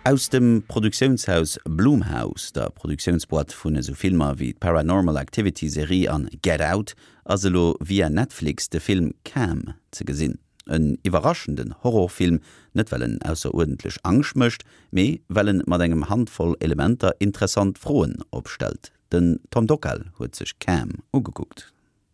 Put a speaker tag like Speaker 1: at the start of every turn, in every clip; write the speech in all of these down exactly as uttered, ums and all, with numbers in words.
Speaker 1: Aus dem Produktiounshaus Blumhouse, der Produktiounsboîte vun esou Filmer wéi Paranormal Activity Serie an Get Out, ass elo via Netflix de Film Cam ze gesinn. En iwwerraschenden Horrorfilm, net well en ausseruerdentlech Angscht mécht, mee well en mat enger Handvoll Elementer interessant Froen opstellt. Den Tom Dockal huet sech Cam ugekuckt.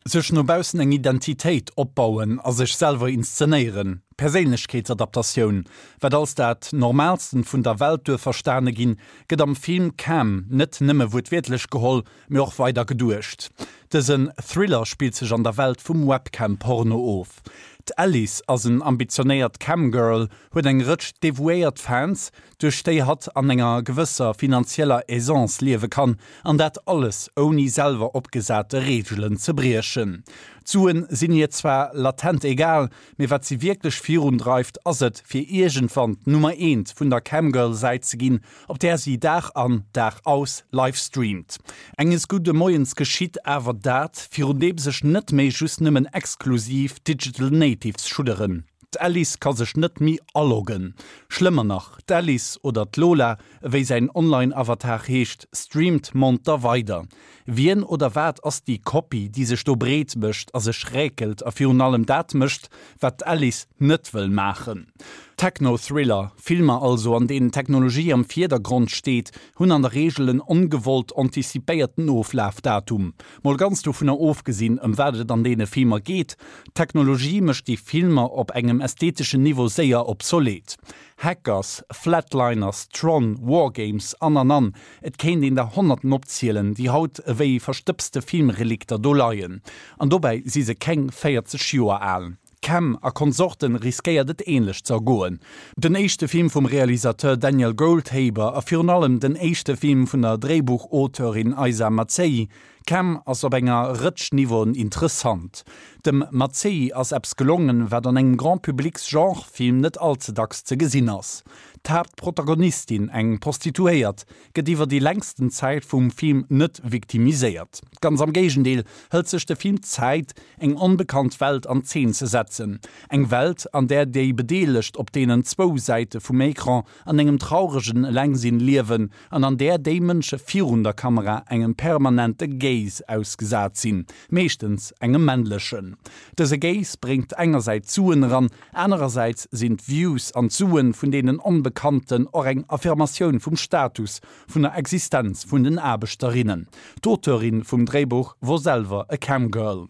Speaker 2: Sech no baussen eng Identitéit opbauen a sech selwer inszenéieren, Perséinlechkeetsadaptatioun, wat als dat Normaalsten vun der Welt duerf verstane ginn, gëtt am Film Cam net nëmme wuertwiertlech geholl, mee och weider geduecht. Dësen Thriller spillt sech an der Welt vum Webcam-Porno of. D'Alice ass en ambitionéiert Camgirl, huet eng Rëtsch devouéiert Fans, duerch déi hatt an enger gewësser finanzieller Aisance liewe kann, an dat alles ouni selwer opgesate Reegelen ze briechen. D'Suen sinn hir zwar latent egal, mee wat si wierklech virundreift, ass et, fir iergendwann d'Nummer eent vun der Camgirl-Säit ze ginn, op där si Dag an, Dag aus livestreamt. Enges gudde Moies geschitt awer dat, virun deem sech net méi just nëmmen exklusiv Digital Natives schudderen. D'Alice ka sech net méi aloggen. Schlëmmer nach, d'Alice oder d'Lola, wéi säin Online-Avatar heescht, streamt monter weider. Wien oder wat ass déi Kopie, déi sech do breet mécht a sech räkelt a virun allem dat mécht, wat d'Alice net wëll maachen? Techno-Thriller, Filmer also, an deenen Technologie am Virdergrond steet, hunn an der Reegel en ongewollt antizipéierten Oflafdatum. Mol ganz dovunner ofgesinn, ëm wat et an deene Filmer geet, Technologie mécht déi Filmer op engem ästheteschen Niveau séier obsolet. Hackers, Flatliners, Tron, WarGames an an an, et kéint een der Honnerten opzielen, déi haut ewéi verstëbste Filmrelikter do leien. An dobäi si se keng véierzeg Joer al. Cam a Konsorten riskéiert et änlech ze ergoen. Den éischte Film vum Realisateur Daniel Goldhaber a virun allem den éischte Film vun der Dréibuchauteurin Isa Mazzei, Cam ass op enger Rëtsch Niveauen interessant. Dem Mazzei ass eppes gelongen, wat an engem Grand-publics-Genre-Film net all ze dacks ze gesinn ass. D'Haaptprotagonistin, eng Prostituéiert, gëtt iwwer déi längsten Zäit vum Film net viktimiséiert. Ganz am Géigendeel hëlt sech de Film Zäit, eng onbekannt Welt an Zeen ze setzen. Eng Welt, an där déi Bedeelegt op deenen zwou Säite vum Ecran an engem trauregen Elengsinn liewen an an där déi Mënsche virun der Kamera engem permanente Gaze ausgesat sinn, meeschtens engem männlechen. Dëse Gaze bréngt engersäits Suen eran, anerersäits sinn d'Views an d'Suen vun deenen Onbekannten och eng Affirmatioun vum Status, vun der Existenz vun den Aarbechterinnen. D'Auteurin vum Dréibuch wor selwer e Camgirl.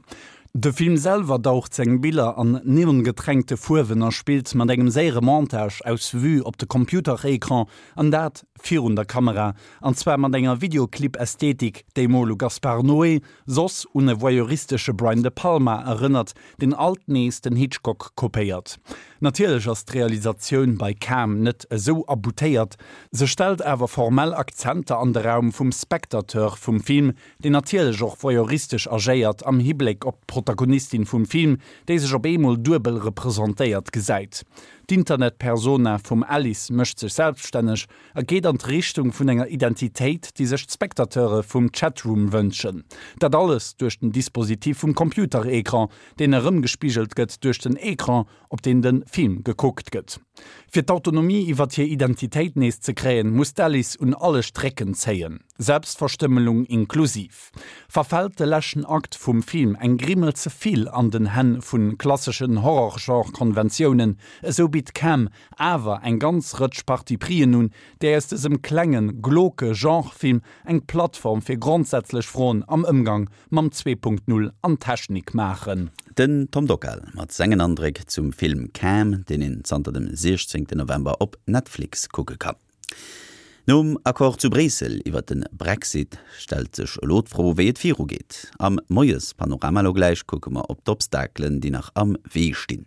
Speaker 2: De Film selwer daucht seng Biller an neongetränkte Fuerwen a spillt mat engem séiere Montage aus Vue op de Computerecran, an dat virun der Kamera, an zwar mat enger Videoclip-Ästhetik, déi mol u Gaspar Noé, soss un e voyeuristesche Brian De Palma erënnert, deen alt nees den Hitchcock kopéiert. Natierlech ass d'Realisatioun bei Cam net esou aboutéiert, se stellt awer formell Akzenter an de Raum vum Spectateur vum Film, deen natierlech och voyeuristesch agéiert am Hibléck op d'Protagonistin vum Film, déi sech op eemol duebel representéiert gesäit. D'Internetpersona vum Alice mécht sech selbststänneg a geet an d'Richtung vun enger Identitéit, déi sech d'Spectateure vum Chatroom wënschen. Dat alles duerch den Dispositif vum Computerecran, deen erëmgespigelt gëtt duerch den Ecran, op deem de Film gekuckt gëtt. Fir d'Autonomie iwwer hir Identitéit nees ze kréien, muss d'Alice un alle Strécken zéien, Selbstverstümmelung inklusiv. Verfält de leschten Akt vum Film eng Grimmel ze vill an den Hänn vu klasseschen Horror-Genre-Konventiounen, esou bitt Cam awer eng ganz Rëtsch Parti-prisen un, déi aus dësem klengen, glauque Genre-Film eng Plattform fir grondsätzlech Froen am Ëmgang mam Zwee Punkt Null an Technik maachen.
Speaker 1: Den Tom Dockal mat sengen Andréck zum Film Cam, deen een zanter dem siechzéngten November op Netflix kucke kann. Nom Accord zu Bréissel iwwer de Brexit stellt sech elo d'Fro, wéi et virugeet. Am Moiespanorama elo gläich kucke mer op d'Obstakelen, déi nach am Wee stinn.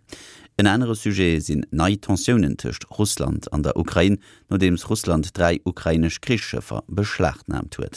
Speaker 1: En anere Sujet sinn nei Tensiounen tëscht Russland an der Ukrain, nodeems Russland dräi ukrainesch Krichsschëffer beschlagnaamt huet.